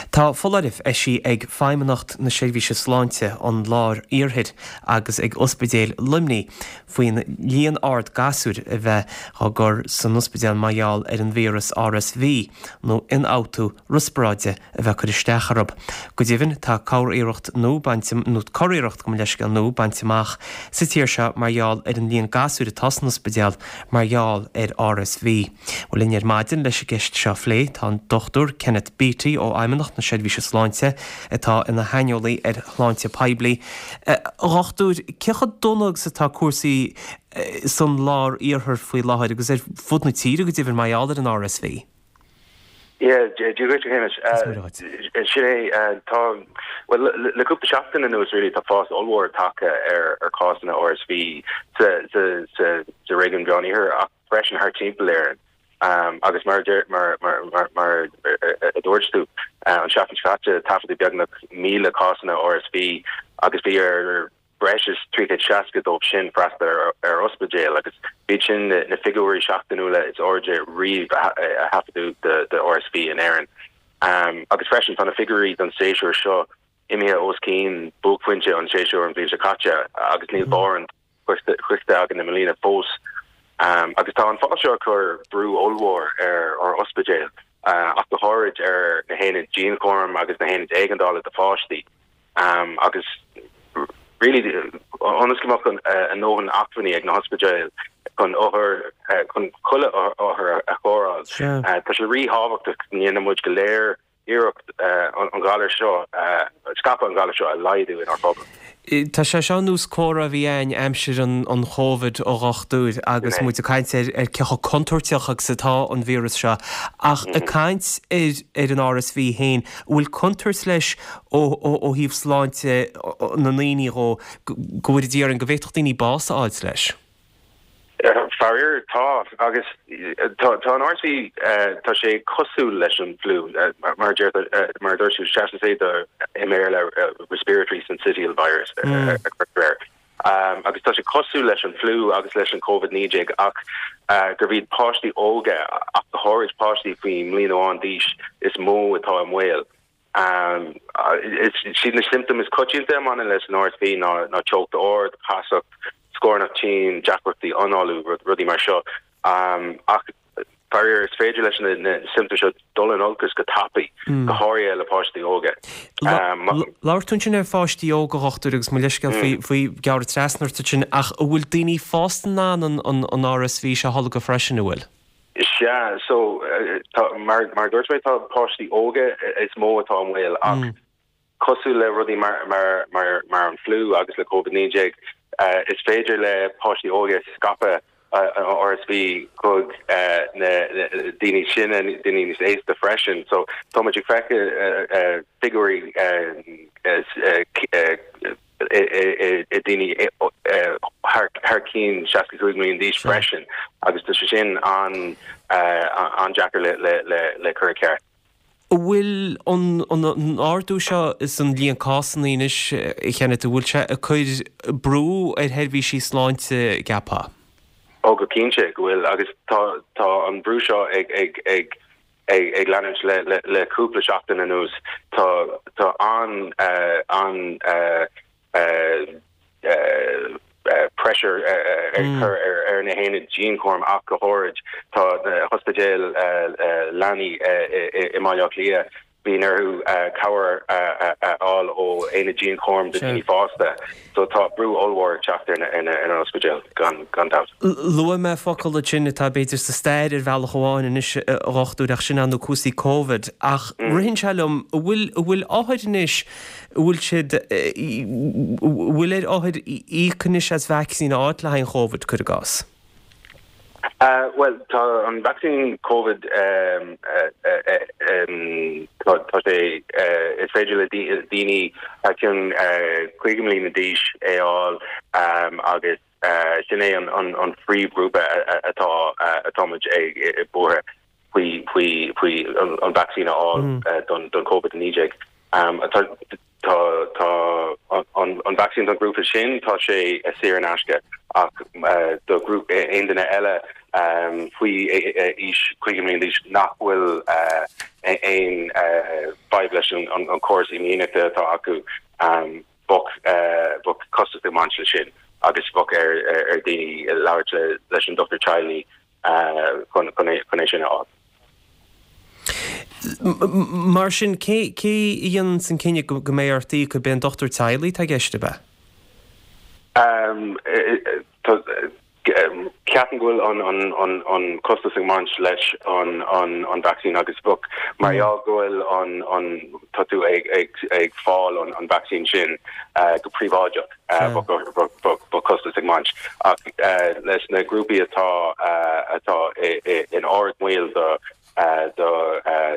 Tá foláireamh eisithe ag Feidhmeannacht na Seirbhíse Sláinte an Lár-Iarthair agus ag Ospidéal Luimnigh faoin líon ard gasúir a bheith á gcur san ospidéal mar gheall ar an víreas RSV nó ionfhabhtú riospráide a bheith ag cur isteach orthu. Go deimhin, tá curiarracht nua bainte, nó curiarracht, gabh mo leithscéal, nua bainte amach sa tír seo mar gheall ar an líon gasúir atá san ospidéal mar gheall ar RSV. Bhuel, linn ar maidin leis an gceist seo a phlé tá an Dr Kenneth Beattie ó Fheidhmeannacht na Seirbhíse Sláinte atá ina shaineolaí ar shláinte poiblí. A dhochtúir, cé chomh dona agus atá cúrsaí san lár-iarthar faoi láthair agus ar fud na tíre go deimhin mar gheall ar an RSV? Yeah, Dia dhuit, a Shéamais. Sin é, tá, bhuel, le cúpla seachtain anuas really tá fás ollmhór tagtha ar chásanna RSV sa réigiún Mheán-Iarthair ach freisin thar timpeall Éireann. Agus mar mar a dúirt tú, an seachtain seo caite taifeadadh beagnach 1,000 cásanna RSV agus bhí ar breis is 360 dóibh sin freastal ar ospidéal agus b'iad sin na figiúirí seachtainiúla is airde riamh a thaifeadadh do RSV in Éirinn. Agus freisin tá na figiúirí don séasúr seo imithe os cionn buaicphointe an tséasúir an bhliain seo caite agus níl barr an sroichte againn i mbliana fós. Agus tá an fás seo ag cur brú ollmhór ar ár ospidéil, ach go háirid ar na haonaid dianchúraim agus na haonaid éigeandála do pháistí. Agus really ionas go mbeadh a ndóthain acmhainní ag na hospidéil chun othair, chun chuile othar a chóireáil, tá sé ríthábhachtach go ndéanann muid go léir iarracht an galar seo, scaipeadh an ghalair seo a laghdú inár bpobal. Tá sé seo ar nós comhrá a bhí againn aimsir an Chóivid, a dhochtúir, agus muid ag caint ar cé chomh contúirteach agus atá an víreas seo. Ach ag caint ar an RSV féin, an bhfuil contúirt leis ó thaobh sláinte na ndaoine dhó, go bhfóire Dia orainn, go bhféadfadh daoine bás a fháilt leis? Faraor, tá. Agus tá an RSV, tá sé cosúil leis an bhfliú, mar a deir, mar a dúirt tú, seasann sé do, i mBéarla, respiratory syncytial virus a chuirtear air. Agus tá sé cosúil leis an bhfliú agus leis an Covid-19 ach gurb iad páistí óga, ach go háirid páistí faoi mbliain amháin d'aois, is mó atá i mbaol. Is iad na siomptóim is coitianta a mbaineann leis an RSV ná teocht ard, casacht, scornach tinn, deacrachtaí análú, rudaí mar seo. Ach faraor, is féidir leis na siomptóim seo dul in olcas go tapaidh, go háirithe le páistí óga. Labhair tú ansin ar pháistí óga, a dhochtúir, agus mo leithscéal faoi gearradh trasna ort ansin, ach an bhfuil daoine fásta in ann an RSV seo a tholgadh freisin, an bhfuil? Sea, so, tá, mar, mar a dúirt mé, tá páistí óga is mó atá i mbaol ach cosúil le rudaí mar, mar, mar, mar an fliú agus le Covid-19, is féidir le páistí óga scaipeadh an RSV chuig na daoine sine, daoine níos aosta freisin. So, tá muid ag feiceáil figiúirí i ndaoine thar cionn 65 mbliana d'aois freisin agus tá sé sin an-deacair le cur i gceart. An bhfuil an ardú seo san líon cásanna anois, a Kenneth, an bhfuil sé ag cur brú ar sheirbhísí sláinte, gceapfá? Ó go cinnte go bhfuil agus tá an brú seo ag ag leanúint le cúpla seachtain anuas. Tá tá an an pressure ag cur ar na haonaid dianchúraim ach go háirid. Tá na hospidéil leanaí i mBaile Átha Cliath Bíonn orthu cabhair a fháil ó aonad dianchúraim do dhaoine fásta. So tá brú ollmhór ag teacht ar an ospidéal, gan dabht. Luaigh mé focal ansin atá b'fhéidir sa stair ar bhealach amháin anois, a dhochtúir, ach sin ná cúrsaí Covid. Ach ritheann sé liom, an bhfuil, an bhfuil othair anois, an bhfuil siad, an bhfuil ar othair íoc anois as vacsaín a fháilt le haghaidh an Chóivid, cuir i gcás? Bhuel, tá an vacsaín Covid, tá sé, is féidir le daoine thar cionn 50 mbliana d'aois é a fháil agus sin é an phríomhghrúpa atá, atá muid ag buartha faoi, faoi, faoi an vacsaín a fháil don Covid-19. Tá. Tá tá an vacsaín don ghrúpa sin, tá sé saor in aisce ach do ghrúpa aon duine eile. faoi aois 50 mbliana d'aois nach bhfuil aon fadhb leis an córas imdhíonachta atá acu, bheadh costas ag baint leis sin agus bheadh ar daoine labhairt leis an dochtúir teaghlaigh chun é sin a fháil. Mar sin, cé a dhéananns an cinneadh go mbeidh ort íoc, ab é an dochtúir teaghlaigh atá i gceist, ab ea? Ceapaim go bhfuil an costas ag baint leis an vacsaín agus bheadh, mar gheall go bhfuil an, tá tú ag fáil an vacsaín sin go príobháideach, bheadh costas ag baint. Ach leis na grúpaí atá atá in ardbhaol do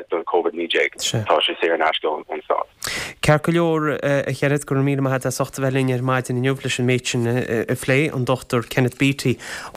don Covid-19, tá sé saor in aisce ón stát. Ceart go leor, a Kenneth, go raibh míle maith agat as ucht a bheith linn ar maidin inniu leis an méid sin a phlé, an Dr Kenneth Beattie.